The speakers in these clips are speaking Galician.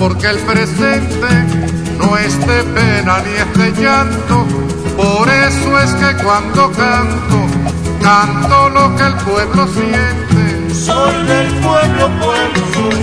porque el presente no es de pena ni es de llanto. Por eso es que cuando canto, canto lo que el pueblo siente. Soy del pueblo, pueblo soy.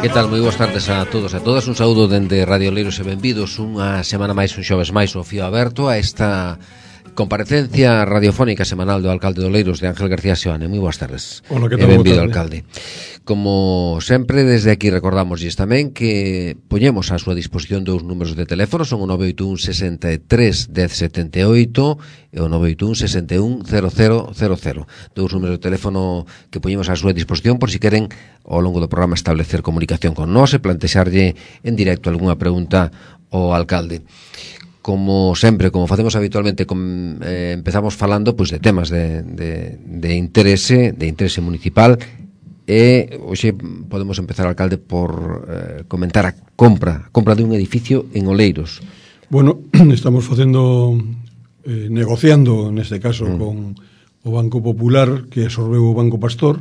Que tal? Moi boas tardes a todos e a todas. Un saúdo dende Radio Oleiros e benvidos unha semana máis, un xoves máis, o fío aberto a esta comparecencia radiofónica semanal do alcalde de Oleiros, de Ángel García Seoane. Moi boas tardes. Hola, que tal? Benvido, alcalde. Como sempre, desde aquí recordamosles tamén que poñemos a súa disposición dous números de teléfono, son o 981 63 1078 e o 981 61 0000. Dous números de teléfono que poñemos a súa disposición por si queren ao longo do programa establecer comunicación con nós e plantexarlle en directo algunha pregunta ao alcalde. Como sempre, como facemos habitualmente, empezamos falando pois de temas de interese municipal. E hoxe podemos empezar, alcalde, por comentar a compra dun edificio en Oleiros. Bueno, estamos negociando neste caso con o Banco Popular, que absorbeu o Banco Pastor.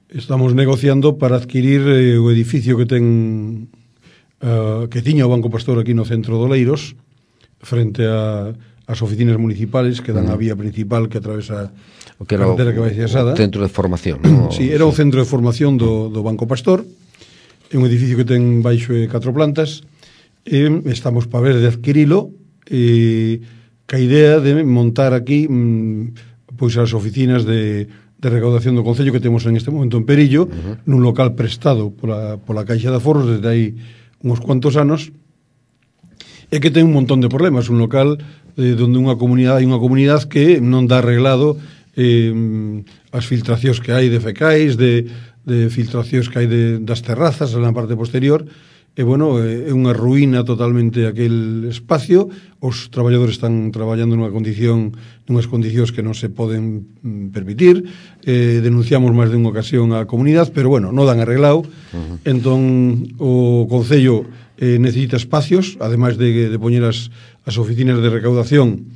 Estamos negociando para adquirir o edificio que tiña o Banco Pastor aquí no centro de Oleiros, frente ás oficinas municipales que dan a vía principal que atravesa o que era o centro de formación, ¿no? Sí, era o centro de formación do Banco Pastor. É un edificio que ten baixo 4 plantas e estamos para ver de adquirilo ca idea de montar aquí pois as oficinas de recaudación do Concello que temos en este momento en Perillo, nun local prestado pola Caixa de Aforros desde hai uns cuantos anos, e que ten un montón de problemas. Un local donde hai unha comunidade que non dá arreglado as filtracións que hai de fecais, de filtracións que hai das terrazas na parte posterior, e bueno, é unha ruína totalmente aquel espacio. Os traballadores están traballando nunhas condicións que non se poden permitir. Denunciamos máis de unha ocasión á comunidade, pero bueno, non dan arreglado. Entón o Concello necesita espacios, ademais de poñer as oficinas de recaudación,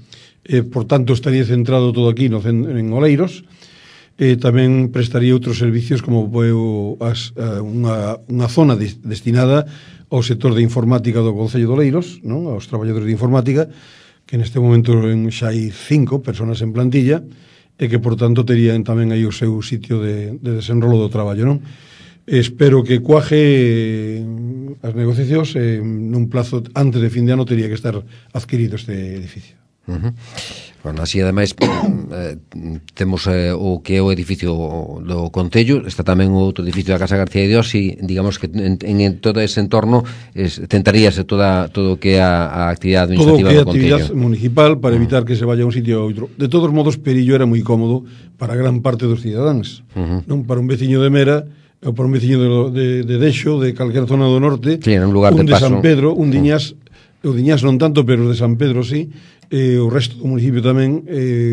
por tanto estaría centrado todo aquí en Oleiros. Tamén prestaría outros servicios como unha zona destinada ao sector de informática do Concello de Oleiros, non? Aos traballadores de informática, que neste momento xa hai 5 personas en plantilla, e que por tanto terían tamén aí o seu sitio de desenrolo do traballo, non? Espero que cuaje as negociacións nun plazo antes de fin de ano tería que estar adquirido este edificio. Bueno, así ademais temos o que é o edificio do Concello, está tamén o outro edificio da Casa García de Dios, e digamos que en todo ese entorno tentaríase todo o que é a actividade administrativa do Concello. Todo o que é a actividade municipal para evitar que se vaya a un sitio a outro. De todos modos, Perillo era moi cómodo para gran parte dos cidadáns, non? Para un veciño de Mera ou para un veciño de Dexo, de calquera zona do norte, sí, un lugar de paso. San Pedro, un Diñas, o Diñas non tanto, pero de San Pedro sí, o resto do municipio tamén.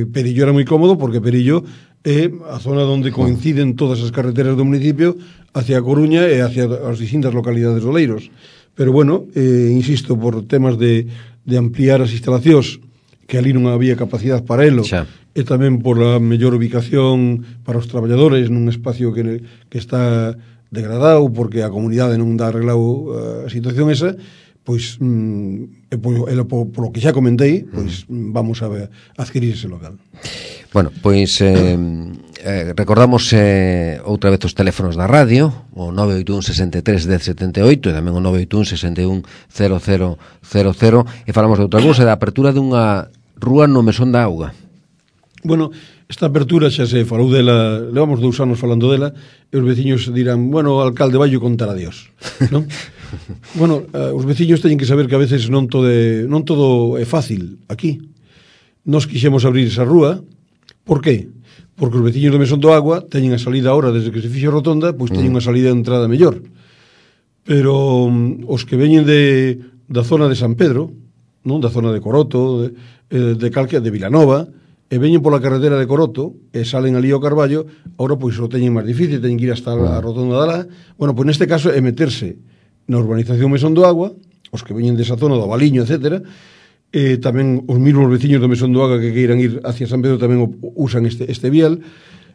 Perillo era moi cómodo porque Perillo é a zona onde coinciden todas as carreteras do municipio hacia a Coruña e hacia as distintas localidades de Oleiros. Pero bueno, insisto, por temas de ampliar as instalacións, que ali non había capacidade para elo, e tamén por a mellor ubicación para os traballadores nun espacio que está degradado porque a comunidade non dá arreglado a situación esa, pois por lo que xa comentei, pois vamos a adquirir ese local. Bueno, pois recordamos outra vez os teléfonos da radio, o 981 63 1078 e tamén o 981 61 0000, e falamos de outra cousa, da apertura dunha rúa no Mesón da Auga. Bueno, esta apertura xa se falou dela, levamos 2 anos falando dela, e os veciños dirán, bueno, o alcalde vai contar a Dios, non? Bueno, os veciños teñen que saber que a veces non todo é fácil aquí. Nos quixemos abrir esa rúa. Por qué? Porque os veciños do Mesón do Agua teñen a salida ahora, desde que se fixo a rotonda, pois teñen unha salida de entrada mellor. Pero os que veñen da zona de San Pedro, non, da zona de Coroto, de Vilanova, e veñen pola carretera de Coroto e salen ali ao Carballo, ahora pois o teñen máis difícil, teñen que ir hasta a rotonda de lá. Bueno, pois neste caso é meterse na urbanización Mesón do Agua, os que veñen desa zona do Baliño, etcétera, e tamén os mesmos veciños do Mesón do Agua que queiran ir hacia San Pedro tamén usan este vial.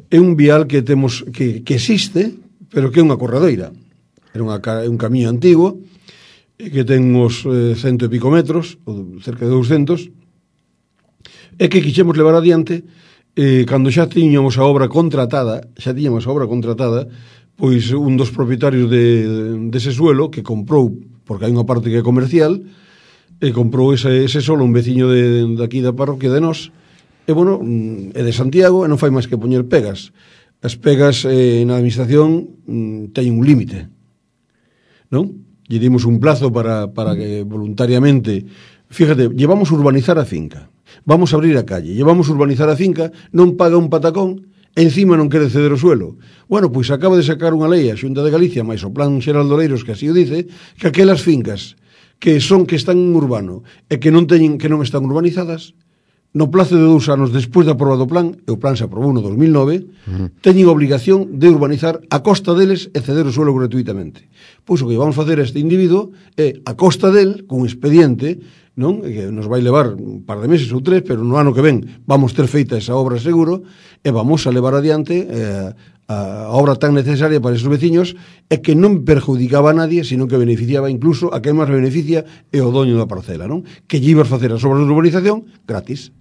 É un vial que temos que existe, pero que é unha corredoira. era un camiño antigo, que ten uns 100 e pico metros, ou cerca de 200, e que quixemos levar adiante, cando xa tiñamos a obra contratada, pois un dos propietarios dese suelo, que comprou, porque hai unha parte que é comercial, e comprou ese solo un veciño de aquí da parroquia de nós, e bueno, é de Santiago, e non fai máis que poñer pegas. As pegas na administración teñen un límite, non? Lle dimos un plazo para que voluntariamente, fíjate, llevamos urbanizar a finca, vamos a abrir a calle, llevamos urbanizar a finca, non paga un patacón, e encima non quere ceder o suelo. Bueno, pois acaba de sacar unha lei a Xunta de Galicia, máis o Plan Xeral de Oleiros, que así o dice, que aquelas fincas que están en urbano e que non están urbanizadas, no plazo de 2 anos despois de aprobado o plan, e o plan se aprobou no 2009, teñen obligación de urbanizar a costa deles e ceder o suelo gratuitamente. Pois o que vamos facer a este individuo é, a costa del, con expediente, non? Que nos vai levar un par de meses ou 3, pero no ano que ven vamos ter feita esa obra seguro, e vamos a levar adiante a obra tan necesaria para esos veciños, e que non perjudicaba a nadie, sino que beneficiaba incluso a quen máis beneficia é o doño da parcela, non? Que lle ibas facer as obras de urbanización gratis.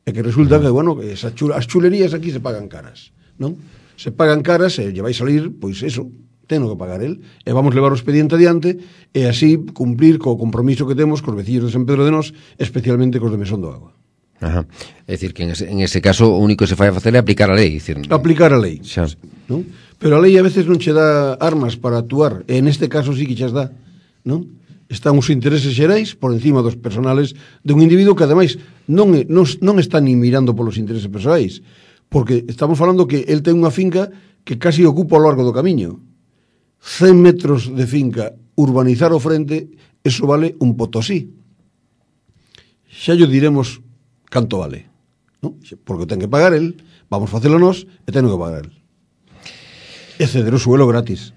E que resulta que, bueno, as chulerías aquí se pagan caras, non? Se pagan caras e lle vai salir, pois eso, teno que pagar el, e vamos levar o expediente adiante e así cumplir co compromiso que temos cos veciños de San Pedro de Nós, especialmente cos de Mesón do Agua. Ajá. É dicir, que en ese caso o único que se fai a facer é aplicar a lei. Aplicar a lei, xa. Non? Pero a lei a veces non che dá armas para actuar, e neste caso sí que chas dá, non? Están os intereses xerais por encima dos personales de un individuo que ademais non está ni mirando polos intereses persoais, porque estamos falando que el ten unha finca que casi ocupa ao largo do camiño. 100 metros de finca, urbanizar o frente, eso vale un Potosí. Xa yo diremos canto vale, non? Porque o ten que pagar el, vamos facelo nós e ten que pagar el. E ceder o suelo gratis.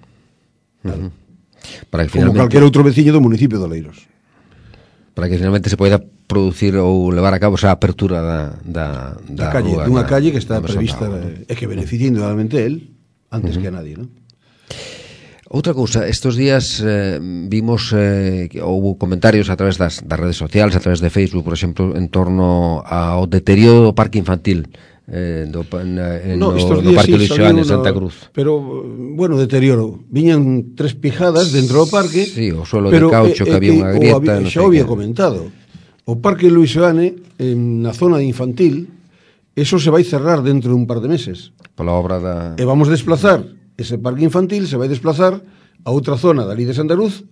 Claro. Para que como calquer outro veciño do municipio de Oleiros, para que finalmente se poida producir ou levar a cabo esa apertura da calle, rúa, dunha calle que está prevista e que beneficia indudablemente él antes que a nadie, non? Outra cousa, estos días vimos que houve comentarios a través das redes sociales, a través de Facebook, por exemplo, en torno ao deterioro do parque infantil do Parque Luis Xoán en Santa Cruz. Pero, bueno, deterioro. Viñan 3 pijadas dentro do parque. Sí, o suelo de caucho, que había unha grieta. Xa había comentado. O Parque Luis Xoán, na zona infantil, eso se vai cerrar dentro de un par de meses. Pola obra da... E vamos desplazar, ese parque infantil se vai desplazar a outra zona dali de Santa Cruz,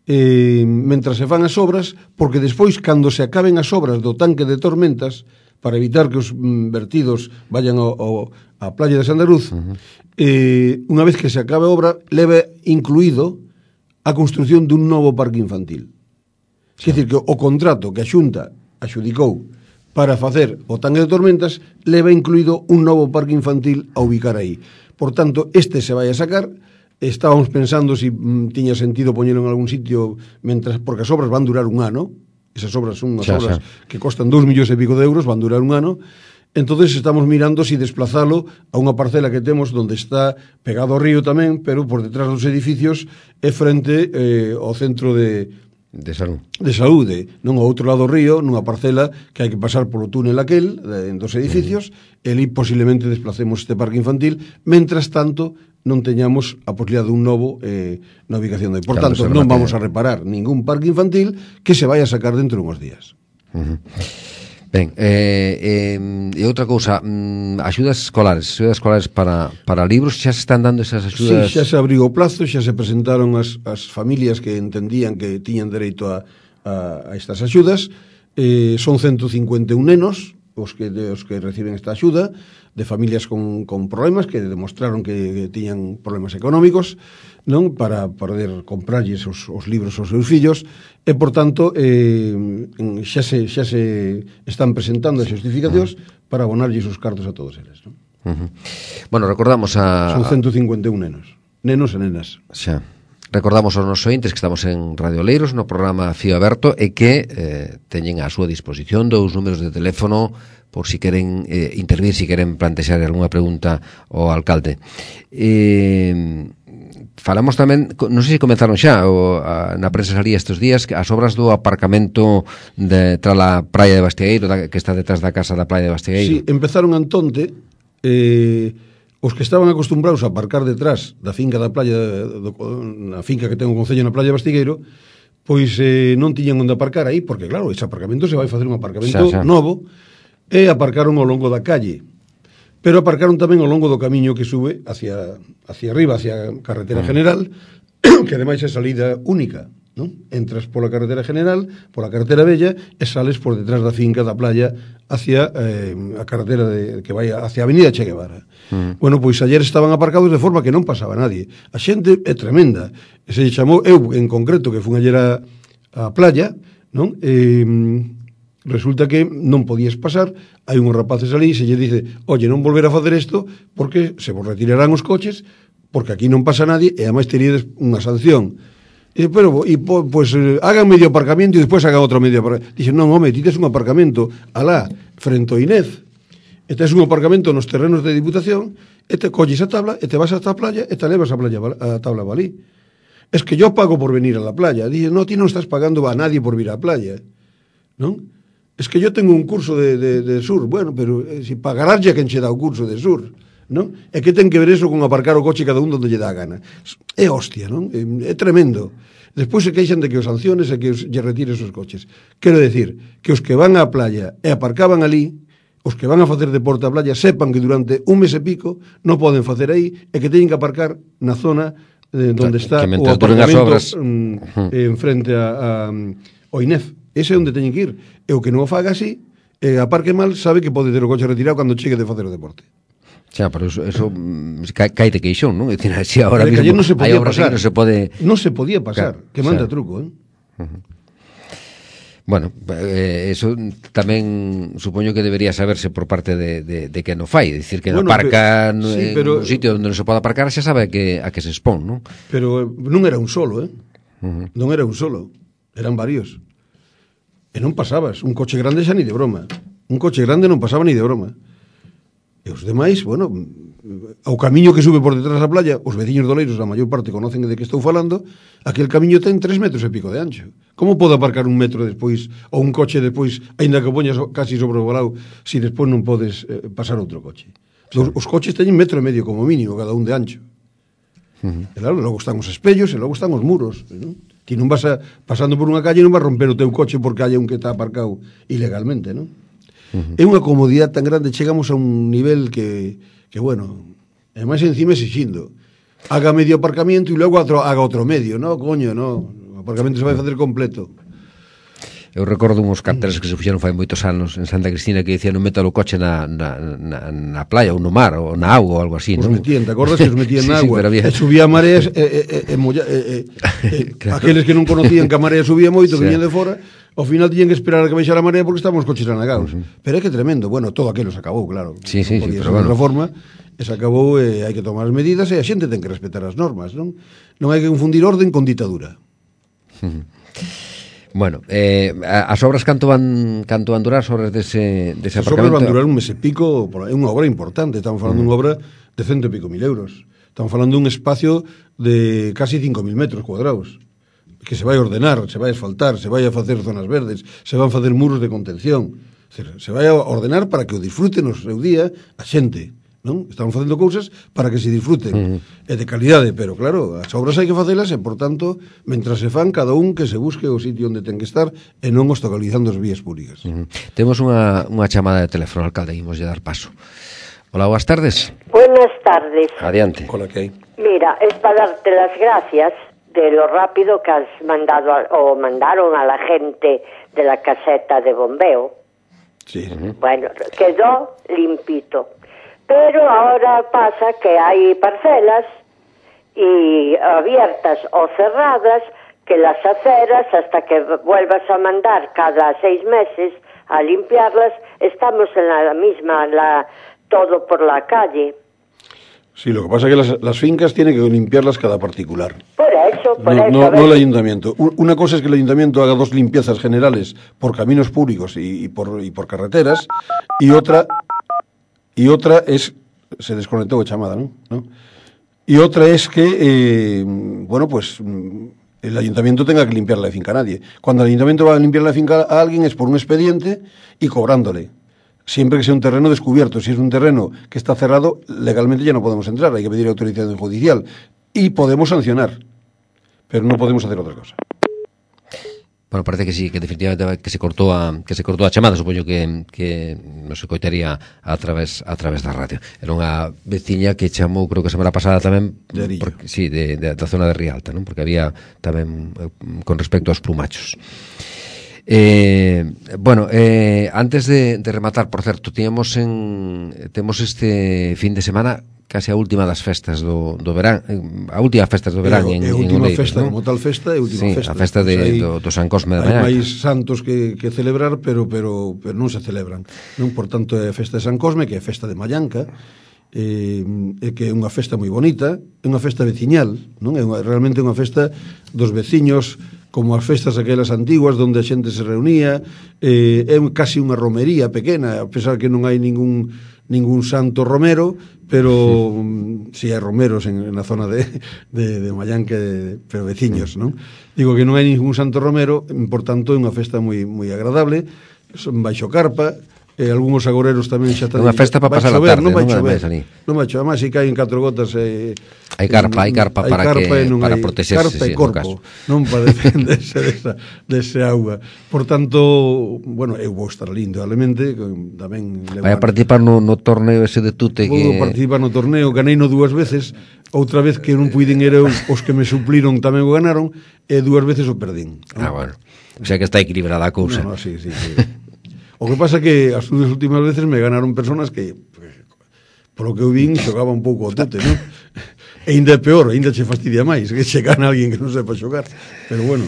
mentras se fan as obras, porque despois, cando se acaben as obras do tanque de tormentas, para evitar que os vertidos vayan á playa de Santa Cruz, unha vez que se acabe a obra, leva incluído a construción dun novo parque infantil. Quer dizer que o contrato que a Xunta axudicou para facer o tanque de tormentas leva incluído un novo parque infantil a ubicar aí. Por tanto, este se vai a sacar. Estábamos pensando si tiña sentido poñelo en algún sitio, porque as obras van durar un ano. Esas obras son unhas obras que costan 2 millóns e pico de euros, van durar un ano. Entonces estamos mirando si desplazalo a unha parcela que temos donde está pegado ao río tamén, pero por detrás dos edificios é frente ao centro de saúde, non ao outro lado do río, nunha parcela que hai que pasar polo túnel aquel dos edificios, e ali posiblemente desplacemos este parque infantil, mentras tanto non teñamos a posibilidade dun novo na ubicación de. Por tanto, non vamos a reparar ningún parque infantil que se vai a sacar dentro de uns días. Ben, e outra cousa, axudas escolares para libros, xa se están dando esas axudas? Sí, xa se abriu o plazo, xa se presentaron as familias que entendían que tiñan dereito a estas axudas. Son 151 nenos os que reciben esta axuda, de familias con problemas que demostraron que tiñan problemas económicos, non, para poder comprarlles os libros aos seus fillos, e por tanto xa se están presentando as justificacións para abonarlles os cartos a todos eles, non? Bueno, recordamos son 151 nenos e nenas. Xa. Recordamos aos nosos ointes que estamos en Radio Oleiros no programa Fío Aberto e que teñen a súa disposición 2 números de teléfono por si queren intervir, si queren plantexar algunha pregunta ao alcalde. falamos tamén, non sei se comenzaron xa na prensa salía estes días as obras do aparcamento tras a praia de Bastiegueiro, que está detrás da casa da praia de Bastiegueiro. Sí, empezaron antonte os que estaban acostumbrados a aparcar detrás da finca da playa, na finca que ten o concello na playa de Bastiegueiro, pois non tiñan onde aparcar aí, porque claro, ese aparcamento se vai facer un aparcamento novo, e aparcaron ao longo da calle. Pero aparcaron tamén ao longo do camiño que sube hacia arriba, hacia a carretera general, que ademais é salida única, non? Entras pola carretera general, pola carretera bella, e sales por detrás da finca da playa hacia a carretera que vai hacia a avenida Che Guevara. Bueno, pois ayer estaban aparcados de forma que non pasaba nadie. A xente é tremenda. Se chamou, eu en concreto, que fun ayer a playa, non? Resulta que non podías pasar, hai uns rapaces ali e se lle dice, oye, non volver a facer isto porque se vos retirarán os coches, porque aquí non pasa nadie e ademais teríades unha sanción. Pues hagan medio aparcamiento e despois hagan outro medio aparcamiento. Dixen, non, home, ti tes un aparcamento alá, frente ao Inez, e tes un aparcamento nos terrenos de Diputación, e te colles a tabla, e te vas hasta a playa, e te levas a tabla balí. Es que yo pago por venir a la playa. Dixen, no, ti non estás pagando a nadie por vir á playa, non? Es que yo tengo un curso de sur. Bueno, pero si pagarás ya quen che dá o curso de sur, non? É que ten que ver eso con aparcar o coche cada un donde lle dá a gana. É hostia, non? É tremendo. Despois se queixan de que os sanciones e que lle retires os coches. Quero decir, que os que van á playa e aparcaban ali, os que van a facer deporte á playa, sepan que durante un mes e pico non poden facer aí e que teñen que aparcar na zona donde está o aparcamento en frente ao INEF. Ese é onde teñen que ir. E o que non o faga así, aparque mal, sabe que pode ter o coche retirado cando chegue de facer o deporte. Xa, pero eso cae de queixón, non? É dicir, si ahora mismo non se podía pasar. Non se podía pasar, que manda truco, Bueno, eso tamén supoño que debería saberse por parte de que non fai, dicir que aparca en un sitio onde non se pode aparcar, xa sabe a que se expón, non? Pero non era un solo, non era un solo, eran varios. E non pasabas, un coche grande xa ni de broma. Un coche grande non pasaba ni de broma. E os demais, bueno, ao camiño que sube por detrás da playa, os veciños doleiros, a maior parte conocen de que estou falando, aquel camiño ten 3 metros e pico de ancho. Como pode aparcar un metro despois, ou un coche despois, aínda que poñas casi sobrevolado, si despois non podes pasar outro coche? Os coches teñen 1,5 metro como mínimo, cada un de ancho. E claro, logo están os espellos e logo están os muros, non? Ti non vas pasando por unha calle e non vas romper o teu coche porque hai un que está aparcado ilegalmente, non? É unha comodidade tan grande, chegamos a un nivel que bueno, e máis encima exixindo. Haga medio aparcamiento e logo haga outro medio, non, coño, non. O aparcamento se vai facer completo. Eu recordo uns carteles que se fixeron fai moitos anos en Santa Cristina que dicían non meta o coche na playa ou no mar ou na auga ou algo así, non? Os metían, te acordas que os metían na auga? E subía a mareas aqueles que non conocían que a marea subía moito, que viñan de fora, ao final tiñan que esperar a que baixara a marea porque estaban os coches anagados. Pero é que tremendo, bueno, todo aquilo se acabou, claro. Sí, pero bueno. De outra forma, se acabou e hai que tomar as medidas e a xente ten que respetar as normas, non? Non hai que confundir orden con ditadura. Bueno, as obras canto van durar as obras dese aparcamento? As obras van durar un mes e pico, é unha obra importante, estamos falando dunha obra de 100 e pico mil euros. Estamos falando dun espacio de casi 5.000 metros cuadrados, que se vai ordenar, se vai asfaltar, se vai a facer zonas verdes, se van facer muros de contención, se vai a ordenar para que o disfruten o seu día a xente, non? Estamos facendo cousas para que se disfruten e de calidade, pero claro, as obras hai que facelas e, por tanto, mentras se fan, cada un que se busque o sitio onde ten que estar e non obstaculizando as vías públicas. Temos unha chamada de teléfono, alcalde, imos de dar paso. Hola, boas tardes. Buenas tardes. Adiante. Hola, que hai? Mira, es para darte las gracias de lo rápido que has mandaron a la gente de la caseta de bombeo. Sí. Bueno, quedó limpito. Pero ahora pasa que hay parcelas y abiertas o cerradas que las aceras, hasta que vuelvas a mandar cada 6 meses a limpiarlas, estamos en la misma, todo por la calle. Sí, lo que pasa es que las fincas tienen que limpiarlas cada particular. Por eso. No el ayuntamiento. Una cosa es que el ayuntamiento haga 2 limpiezas generales por caminos públicos y por carreteras, y otra es, se desconectou a chamada, ¿no? Y otra es que, bueno, pues el ayuntamiento tenga que limpiar la finca a nadie. Cuando el ayuntamiento va a limpiar la finca a alguien es por un expediente y cobrándole. Siempre que sea un terreno descubierto. Si es un terreno que está cerrado, legalmente ya no podemos entrar, hay que pedir autorización judicial. Y podemos sancionar, pero no podemos hacer otra cosa. Bueno, parece que sí, que definitivamente que se cortou a chamada, supoño que non se coitaría a través da radio. Era unha veciña que chamou, creo que a semana pasada tamén, da zona de Rialta, non? Porque había tamén con respecto aos plumachos. Antes de rematar, por certo, temos este fin de semana case a última das festas do verán, a última festas do verán en última Oleiros, festa, non? como tal festa, é última festa. A festa do San Cosme de Mañanca. Hai máis santos que celebrar, pero non se celebran, non? Por tanto, é a festa de San Cosme, que é a festa de Mañanca, que é unha festa moi bonita, é unha festa veciñal, non? É realmente unha festa dos veciños, como as festas aquelas antiguas onde a xente se reunía, é casi unha romería pequena, a pesar que non hai ningún santo romero, pero si hai romeros na zona de Mayanque, pero veciños, non? Digo que non hai ningún santo romero, por tanto é unha festa moi moi agradable, baixo carpa, algúns agoreros tamén xa están... Unha festa para pasar a tarde, non vai chover. Non vai chover, máis se caen 4 gotas... Hai carpa para protexerse. Carpa e corpo, non para defenderse dese auga. Por tanto, bueno, eu vou estar lindo, realmente, tamén... Vai a participar no torneo ese de tute que... Vou participar no torneo, ganeino 2 veces, outra vez que non puiden ir os que me supliron tamén o ganaron, e 2 veces o perdín. Bueno, o sea que está equilibrada a cousa. No, sí. O que pasa que as últimas veces me ganaron personas que, polo que eu vin, xogaba un pouco o tute, non? E ainda é peor, ainda che fastidia máis, que che gana alguén que non sepa xogar. Pero bueno...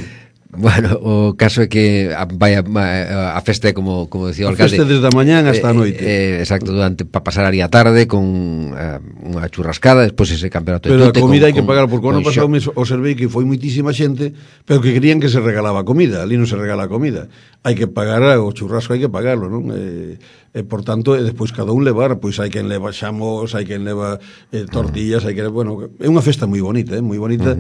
Bueno, o caso é que vai a festa, como decía o alcalde, a festa desde a mañán hasta a noite. Exacto, para pasar ali a tarde con unha churrascada, despois ese campeonato de pero tute. Pero a comida hai que pagar, porque o ano pasado observei que foi muitísima xente, pero que querían que se regalaba comida. Ali non se regala comida, hai que pagar o churrasco, hai que pagarlo, non? Por tanto, despois cada un levar, pois hai quen leva xamos, hai quen leva tortillas, hai que, bueno, é unha festa moi bonita, moi bonita,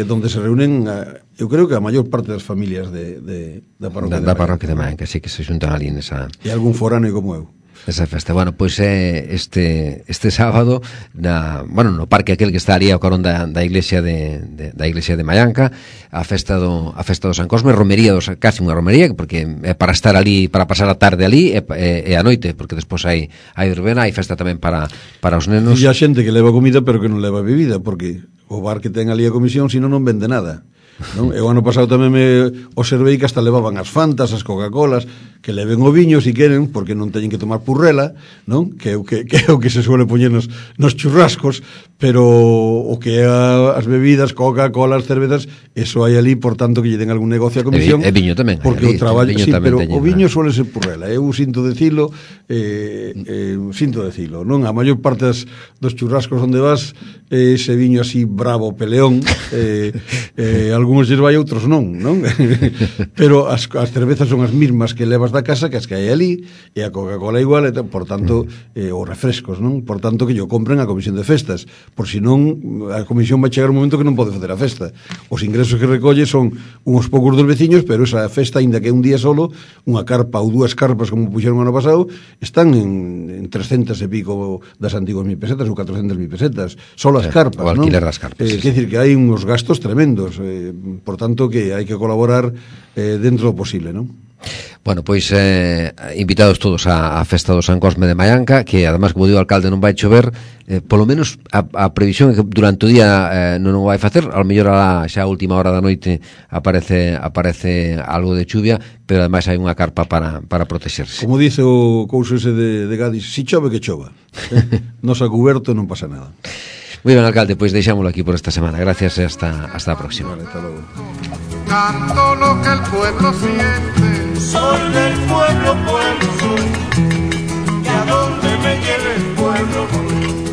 donde se reúnen, eu creo que a maior parte das familias da parroquia da parroquia de Mañanca, que se xuntan ali nesa... E algún foráneo como eu. Esa festa, bueno, pois é este sábado no parque aquel que está ali ao carón da iglesia de Mañanca, a festa do San Cosme, romería casi unha romería, porque é para estar ali, para pasar a tarde ali e a noite, porque despois hai verbena, hai festa tamén para os nenos. E a xente que leva comida pero que non leva bebida, porque o bar que ten ali a comisión, sino non vende nada. Non? E o ano pasado tamén me observei que hasta levaban as Fantas, as Coca-Colas, que leven o viño se queren, porque non teñen que tomar purrela, non? Que é o que se suele poñer nos churrascos, pero o que é as bebidas, Coca-Colas, cervezas, eso hai ali, por tanto que lle den algún negocio a comisión. E viño tamén. Porque o traballo, sí, pero o viño suele ser purrela, eu sinto decilo, non? A maior parte dos churrascos onde vas, ese viño así bravo, peleón, algúns lles vai, outros non? Pero as cervezas son as mismas que levas da casa que as que hai ali, e a Coca-Cola igual, por tanto, os refrescos, non? Por tanto, que yo compren a comisión de festas, por si non, a comisión vai chegar un momento que non pode facer a festa. Os ingresos que recolle son uns poucos dos veciños, pero esa festa, ainda que é un día solo, unha carpa ou 2 carpas, como puxeron ano pasado, están en 300 e pico das antiguas 1.000 pesetas ou 400.000 pesetas, solo as carpas, o alquiler das carpas. Quer dicir que hai uns gastos tremendos, por tanto que hai que colaborar dentro do posible, non? Bueno, pois invitados todos á festa do San Cosme de Mañanca, que además, como digo o alcalde, non vai chover, polo menos a previsión é que durante o día non o vai facer, ao mellor xa a última hora da noite aparece algo de chuvia, pero ademais hai unha carpa para protexerse. Como dice o couso ese de Gadis, si chove que chova, nos a cuberto non pasa nada. Moi ben, alcalde, pois deixámoslo aquí por esta semana. Gracias e hasta a próxima. Vale, hasta logo. Canto lo que el pueblo siente. Soy del pueblo soy. Y a donde me lleve el pueblo voy.